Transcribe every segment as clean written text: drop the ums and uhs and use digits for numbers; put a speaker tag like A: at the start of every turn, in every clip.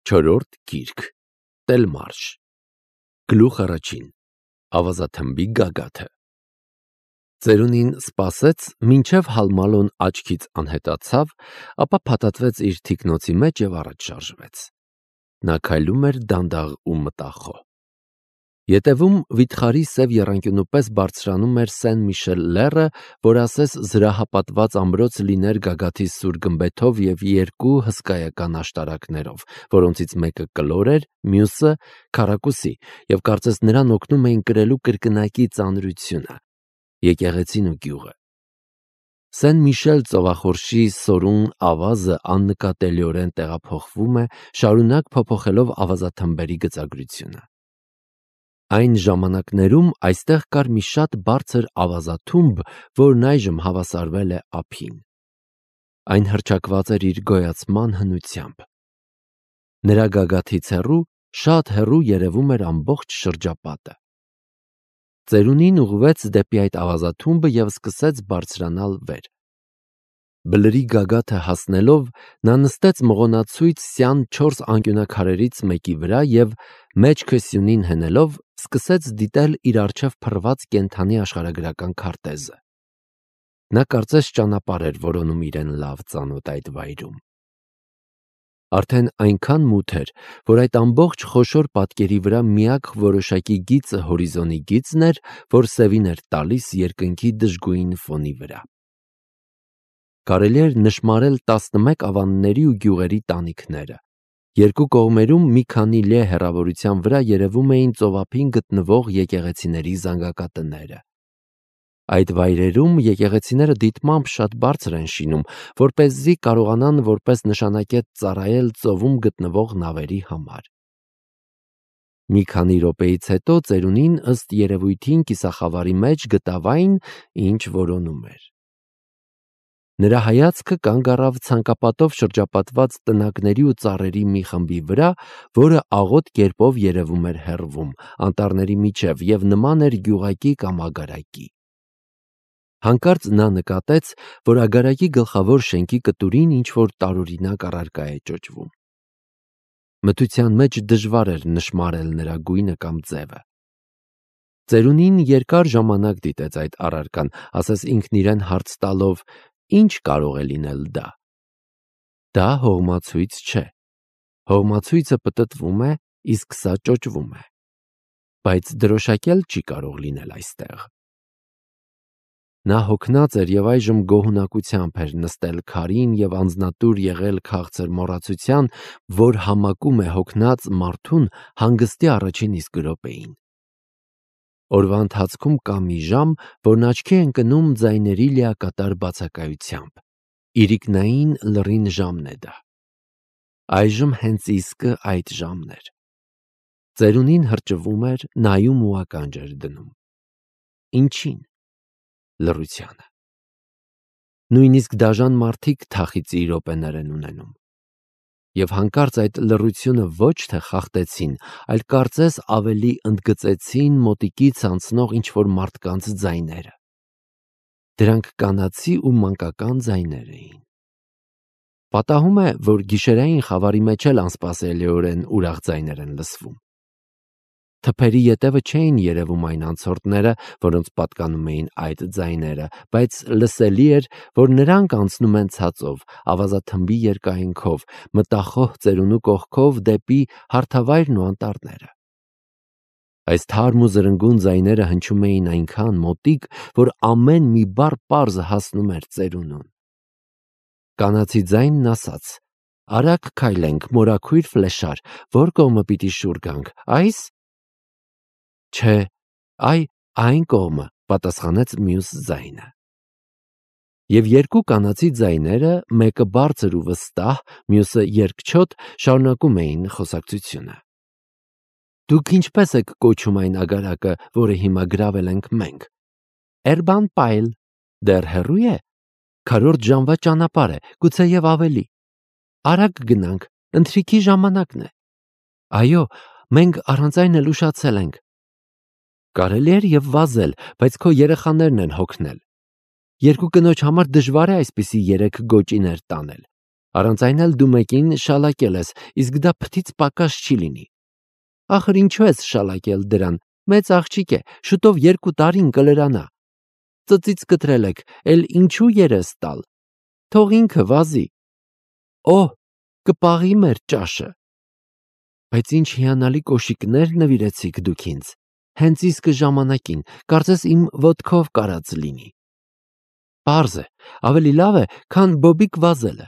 A: Չորրորդ գիրք Տելմարշ Գլուխ առաջին Ավազաթմբի գագաթը Ծերունին սպասեց, մինչև Հալմալոն աչքից անհետացավ, ապա փաթաթվեց իր թիկնոցի մեջ և առաջ շարժվեց. Նա քայլում էր դանդաղ ու մտախոհ։ Ետևում վիթխարի սև եռանկյունու պես բարձրանում էր Սեն-Միշել լեռը, որ ասես զրահապատված ամրոց լիներ գագաթի սուր գմբեթով և երկու հսկայական աշտարակներով, որոնցից մեկը կլոր էր, մյուսը քառակուսի, և կարծես նրան օգնում էին կրելու կրկնակի ծանրությունը, եկեղեցին ու գյուղը։ Սեն-Միշել ծովախորշի սորուն ավազը աննկատելիորեն տեղափոխվում է, շարունակ փոփոխելով ավազաթմբերի գծագրությունը։ Այն ժամանակներում այստեղ կար մի շատ բարձր ավազաթումբ, որն այժմ հավասարվել է ափին։ Այն հռչակված էր իր գոյացման հնությամբ։ Նրա գագաթից հեռու, շատ հեռու երևում էր ամբողջ շրջապատը։ Ծերունին ուղղվեց դեպի այդ ավազաթումբը և սկսեց բարձրանալ վեր։ Բլրի գագաթը հասնելով, նա նստեց մղոնացույց սյան 4 անկյունաքարերից մեկի վրա և, մեջքը սյունին հենելով, սկսեց դիտել իր առջև փռված կենդանի աշխարհագրական քարտեզը։ Նա կարծես ճանապարհ էր որոնում իրեն լավ ծանոթ այդ վայրում։ Արդեն այնքան մութ էր, որ այդ ամբողջ խոշոր պատկերի վրա միակ որոշակի գիծը հորիզոնի գիծն էր, որ սևին էր տալիս երկնքի դժգույն ֆոնի վրա։ Կարելի էր նշմարել 11 ավանների ու գյուղերի տանիքները։ Երկու կողմերում մի քանի լե հեռավորության վրա երևում էին ծովափին գտնվող եկեղեցիների զանգակատները։ Այդ վայրերում եկեղեցիները դիտմամբ շատ բարձր են շինում, որպեսզի կարողանան որպես նշանակետ ծառայել ծովում գտնվող նավերի համար։ Մի քանի րոպեից հետո ծերունին ըստ երևույթին կիսախավարի մեջ գտավ այն, ինչ որոնում էր։ Նրա հայացքը կանգ առավ ցանկապատով շրջապատված տնակների ու ծառերի մի խմբի վրա, որը աղոտ կերպով երևում էր հեռվում, անտառների միջև և նման էր գյուղակի կամ ագարակի։ Հանկարծ նա նկատեց, որ ագարակի գլխավոր շենքի կտուրին ինչ-որ տարօրինակ առարկա է ճոճվում։ Մթության մեջ դժվար էր նշմարել նրա գույնը կամ ձևը։ Ծերունին երկար ժամանակ դիտեց այդ առարկան, ասես ինքն իրեն հարց տալով. «Ինչ կարող է լինել դա»։ Դա հողմացույց չէ։ Հողմացույցը պտտվում է, իսկ սա ճոճվում է։ Բայց դրոշակել չի կարող լինել այստեղ։ Նա հոգնած էր և այժմ գոհունակությամբ էր նստել քարին և անձնատուր եղել քաղցր մոռացության, որ համակում է հոգնած մարդուն հանգստի առաջին իսկ րոպեին։ Օրվա ընթացքում կա մի ժամ, որն աչքի է ընկնում ձայների լիակատար բացակայությամբ։ Իրիկնային լռին ժամն է դա։ Այժմ հենց իսկը այդ ժամն էր։ Ծերունին հրճվում էր, նայում ու ականջ էր դնում։ Ինչին։ Լռությանը։ Նույնիսկ դաժան մարդիկ թախիծի րոպեներ են ունենում։ Եվ հանկարծ այդ լռությունը ոչ թե խախտեցին, այլ կարծես ավելի ընդգծեցին մոտիկից անցնող ինչ-որ մարդկանց ձայները։ Դրանք կանացի ու մանկական ձայներ էին։ Պատահում է, որ գիշերային խավարի մեջ էլ անսպասելիորեն ուրախ ձայներ են լսվում։ Թփերի ետևը չէին երևում այն անցորդները, որոնց պատկանում էին այդ ձայները, բայց լսելի էր, որ նրանք անցնում են ցածով, ավազաթմբի երկայնքով, մտախոհ ծերունու կողքով դեպի հարթավայրն ու անտառները։ Այս թարմ ու զրնգուն ձայները հնչում էին այնքան մոտիկ, որ ամեն մի բառ պարզ հասնում էր ծերունուն։ Կանացի ձայնն ասաց. «Արագ քայլենք, մորաքույր ֆլեշար, որ կողմը պիտի շուռ գանք, այս»։ Չէ, այն կողմը, պատասխանեց մյուս ձայնը։ Եվ երկու կանացի ձայները, մեկը բարձր ու վստահ, մյուսը երկչոտ, շարունակում էին խոսակցությունը։ Դուք ինչպես եք կոչում այն ագարակը, որը հիմա գրավել ենք մենք։ Էրբան Պայլ։ Դեռ հեռու է։ 4 ժամվա ճանապարհ է, գուցեև ավելի։ Արագ գնանք, ընթրիքի ժամանակն է։ Այո, մենք առանց այն էլ ուշացել ենք։ Կարելի էր և վազել, բայց քո երեխաներն են հոգնել։ Երկու կնոջ համար դժվար է այսպիսի 3 գոճիներ տանել։ Առանց այն էլ դու մեկին շալակել ես, իսկ դա փթից պակաս չի լինի։ Ախր ինչու ես շալակել դրան, մեծ աղջիկ է, շուտով 2 տարին կլրանա։ Ծծից կտրել եք, էլ ինչու երես տալ, թող ինքը վազի։ Օհ, կպաղի մեր ճաշը։ Բայց ինչ հիանալի կոշիկներ նվիրեցիք դուք ինձ, հենց իսկ ժամանակին, կարծես իմ ոտքով կարած լինի։ Պարզ է, ավելի լավ է, քան բոբիկ վազելը։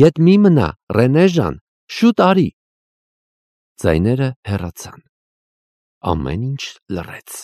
A: Ետ մի մնա, Ռենե ջան, շուտ արի։ Ձայները հեռացան։ Ամեն ինչ լռեց։